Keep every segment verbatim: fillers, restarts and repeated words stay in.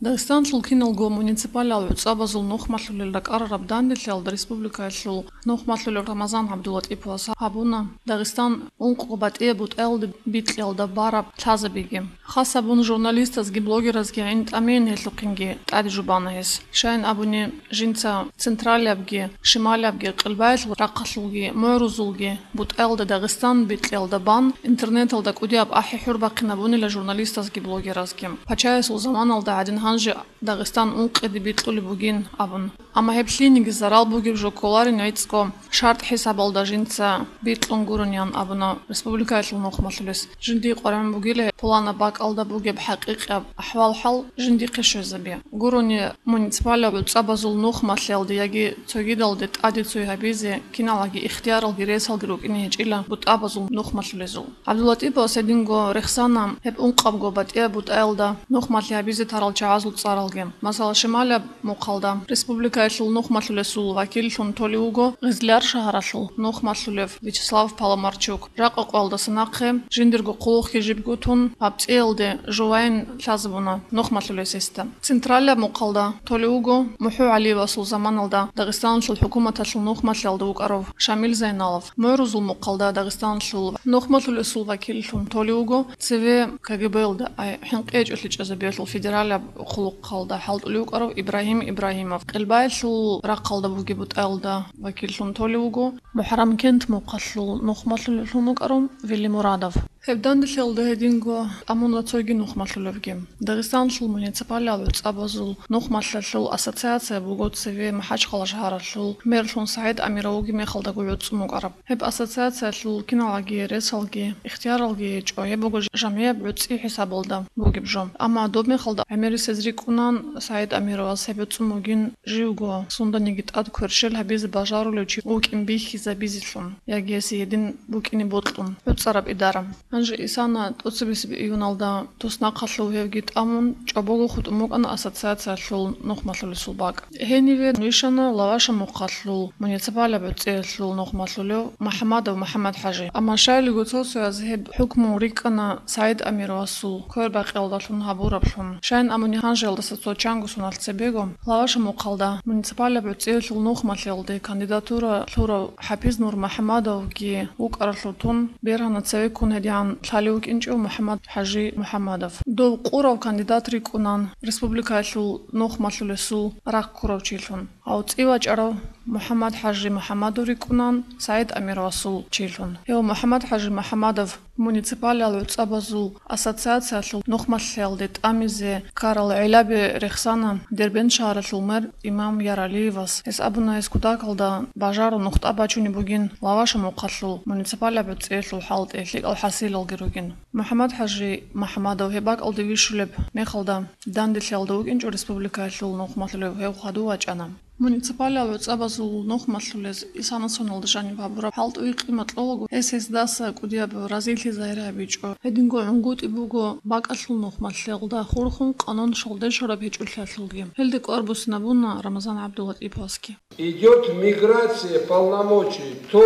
Дагъистанлъул киналго муниципалиал гӀуцӀабазул нухмалъулел ракӀарараб данделъиялда республикаялъул нухмалъулев Рамазан ГӀабдулатӀиповас гьабуна Дагъистан ункъго батӀияб бутӀаялда бикьиялда бараб лъазабиги. Хас гьабун журналистазги блогеразги гӀин тӀамиин гьелъухъинги тӀаде жубана гьес. Щайин абуни, жинца централиябги, шималиябги, къилбаялъул рахъалъулги, мугӀрузулги бутӀаялда Дагъистан бикьиялда бан, интернеталда кӀудияб ахӀи-хӀур бахъинабунила журналистазги блогеразги. Пачаясул заманалда гӀадин гьанже Дагъистан ункъиде бикьулеб бугин абун. Амма гьеб лъиениги зарал бугеб жо кколарин гӀицӀго шартӀ хӀисабалда жинца бикьун гурониан абуна республикаялъул нухмалъулес. Жиндие къваригӀун бугила пуланаб бакӀалда бугеб хӀакъикъияб ахӀвал-хӀал жиндихъе щвезаби. Гурони муниципалияб гӀуцӀабазул нухмалъиялде яги цогидалде тӀаде цой гьабизе киналги ихтияралги ресалги рукӀине гьечӀила бутӀабазул нухмалъулезул. ГӀабдуллатӀиповас гьединго рехсана гьеб ункъабго батӀияб бутӀаялда нухмалъи гьабизе тарал чагӀазул цӀаралги. Масала, шималияб мухъалда республикаялъул нухмалъулесул вакиллъун толев вуго Гъизлияр шагьаралъул нухмалъулев Вячеслав Паламарчук. Жакъа къоялдаса нахъе жиндирго хъулухъги жибго тун, гьаб цӀиялде жувайин лъазабуна нухмалъулес гьесда. Централияб мухъалда толев вуго МухӀу ГӀалиевасул заманалда Дагъистаналъул хӀукуматалъул нухмалъиялда вукӀарав Шамил Зайналов. МугӀрузул мухъалда Дагъистаналъул нухмалъулесул вакиллъун толев вуго цеве КГБ-ялда, ай, хӀинкъи гьечӀолъи чӀезабиялъул федералияб хъулухъалда хӀалтӀулев вукӀарав Ибрагьим Ибрагьимов. Къилбаялъул рахъалда бугеб бутӀаялда вакиллъун толев вуго МухӀарамкент мухъалъул нухмалъулевлъун вукӀарав Вели Мурадов. Гьеб данделъиялда гьединго тӀамуна цоги нухмалъулевги. Дагъистаналъул муниципалияб гӀуцӀабазул нухмалъиялъул ассоциация буго цеве МахӀачхъала шагьаралъул мерлъун СагӀид Амиров вугеб мехалдаго гӀуцӀун вукӀараб. Гьеб ассоциациялъул киналги ресалги ихтияралги гьечӀо, гьеб буго жамгӀияб гӀуцӀи хӀисабалда бугеб жо. Амма доб мехалда гӀемерисез рикӀкӀунан СагӀид Амировас гьеб гӀуцӀун бугин живго, сунданиги тӀад кверщел гьабизе бажарулев чи вукӀин бихьизабизелъун, яги гьесие гьедин букӀине бокьун гӀуцӀараб идара. Гьанже исана тӀоцебесеб июналда туснахъалъув гьевги тӀамун, чӀобого хутӀун букӀана ассоциациялъул нухмалъулесул бакӀ. Гьениве вищана Лаваша мухъалъул муниципалияб гӀуцӀиялъул нухмалъулев МухӀамадов МухӀаммад-ХӀажи. Амма щайилго цо-цояз гьеб хӀукму рикӀкӀана СагӀид Амировасул квербакъиялдалъун гьабураблъун. Щайин абуни, гьанжеялдаса цо чанго соналъ цебего Лаваша мухъалда муниципалияб гӀуцӀиялъул нухмалъиялде кандидатура лъурав ХӀапиз Нурмухьамадовги вукӀаралъур тун, бергьана цевеккун гьедигӀан лъалев вукӀинчӀев МухӀаммад-ХӀажи МухӀаммадов. Дов къурав кандидат рикӀкӀунан республикаялъул нухмалъулесул рахъ ккурав чилъун. Гьав цӀи вачӀарав МухӀаммад-ХӀажи МухӀаммадов рикӀкӀунан СагӀид Амировасул чилъун. Гьев МухӀаммад-ХӀажи МухӀаммадов муниципалияб гӀуцӀабазул ассоциациялъул нухмалъиялде тӀамизе ккарал гӀиллаби рехсана Дербент шагьаралъул мэр Имам Яралиевас. Гьес абуна, гьес кутакалда бажарун нухтӀа бачунеб бугин Лаваша мухъалъул муниципалияб гӀуцӀиялъул хӀалтӀи, лъикӀал хӀасилалги ругин. МухӀаммад-ХӀажи МухӀаммадов гьеб бакӀалде вищулеб мехалда данделъиялда вукӀинчӀо республикаялъул нухмалъулев, гьев хадув вачӀана. Муниципалияб гӀуцӀабазул нухмалъулез исана соналда жаниб гьабураб хӀалтӀуе къимат кьолаго, гьес гьесдаса кӀудияб разилъи загьир гьабичӀо. Гьединго гӀунгутӀи буго бакӀалъул нухмалъиялда хурхун къанун шалдешараб гьечӀолъиялъулги. Гьелде кӀвар буссинабуна Рамазан ГӀабдулатӀиповасги. Идёт миграция полномочий то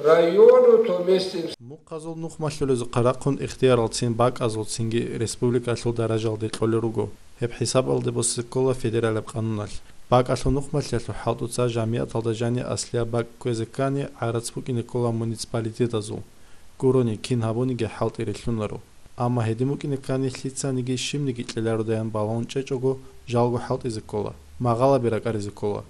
району, то местным. Мухъазул нухмалъулезухъа рахъун ихтияралцин бакӀазулцинги республикалъул даражалде кьолел руго. Гьеб хӀисабалде босизе ккола федералияб къануналъ. БакӀалъул нухмалъиялъул хӀалтӀуца жамигӀаталда жани аслияб бакӀ кквезе ккани, гӀарац букӀине ккола муниципалитетазул. Гурони, кин гьабуниги хӀалтӀи рилълъунаро. Амма гьедин букӀине ккани, лъицаниги щибниги кьелародаян балагьун чӀечӀого, жалго хӀалтӀизе ккола, магъалаби ракӀаризе ккола.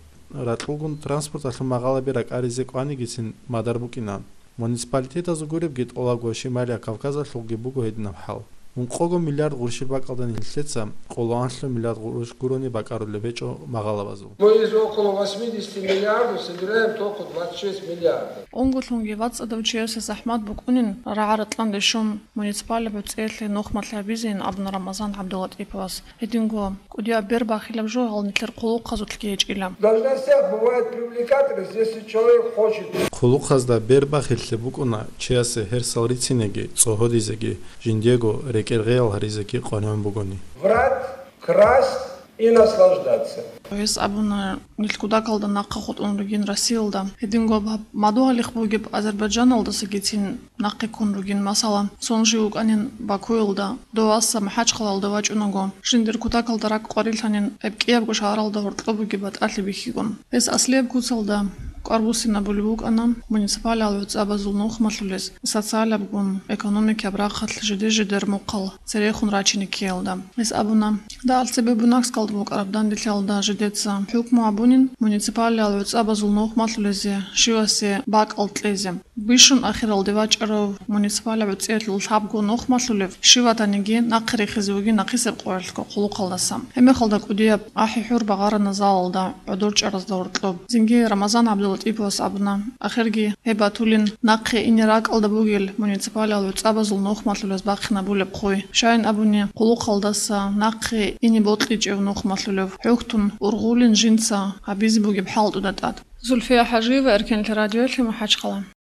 Ракьулгун транспорталъул магъалаби ракӀаризе кӀванигицин мадар букӀинан. Муниципалитетазул гуребги тӀолабго Шималия Кавказалъулги буго гьединаб хӀал. Ункъого миллиард гъурущи бакӀалда нилъеца къоло анлъго миллиард гъурущ гурони бакӀарулеб гьечӀо магъалабазул. Мы из около восьмидесяти миллиардов собираем только двадцать шесть миллиардов. Унголъунги вацӀцӀадав чиясе захӀмат букӀунин рагӀа-ратӀлъанде щун муниципалияб гӀуцӀиялъе нухмалъи гьабизейин абуна Рамазан ГӀабдулатӀиповас. Гьединго, кӀудияб бербахилаб жо гьал нилъер хъулухъазулъги гьечӀила. В должностях бывает привлекательность, если человек хочет. Хъулухъазда бербахиллъи букӀуна чиясе гьерсал рицинеги, цӀогьодизеги, жиндиего рекӀергъеял гьаризеги къванигӀун бугони. Врать, красть, и наслаждаться. Гьес абуна, нилъ кутакалда нахъа хутӀун ругин Россиялда. Гьединго гьаб мадугьалихъ бугеб Азербайджаналдасагицин нахъе ккун ругин, масала, цо жив вукӀанин Бакуялда, дов аса МахӀачхъалаялда вачӀунаго, жиндир кутакалда ракӀ къварилъанин гьеб кӀиябго шагьаралда гьоркьоб бугеб батӀалъи бихьигун. Гьес аслияб куцалда кӀвар буссинабулеб букӀана муниципалиал гӀуцӀабазул нухмалъулез социалабгун, экономикияб рахъалъ жиде-жидер мухъал церехун рачине ккеялда. Гьес абуна, дагьал цебе Буйнакскалда букӀараб данделъиялда жидеца хӀукму гьабунин муниципалиал гӀуцӀабазул нухмалъулезе щивасе бакӀал кьезе. Бищун ахиралде вачӀарав муниципалияб гӀуцӀиялъул лъабго нухмалъулев щиватаниги нахъе рехизе вугин нахъисеб къоялъго хъулухъалдаса. Гьеб мехалда кӀудияб ахӀи-хӀур багъарана залалда гӀодор чӀаразда гьоркьоб. Цинги Рамазан ГӀабдулатӀиповас абуна, ахирги гьеб батулин нахъе ине ракӀалда бугел муниципалиал гӀуцӀабазул нухмалъулез бахъинабулеб хъуй. Щайин абуни, хъулухъалдаса нахъе ине бокьичӀев нухмалъулев хӀухьтун ургъулин жинца гьабизе бугеб хӀалтӀуда тӀад. Зульфия ХӀажиева, Эркенлъи радиоялъе, МахӀачхъала.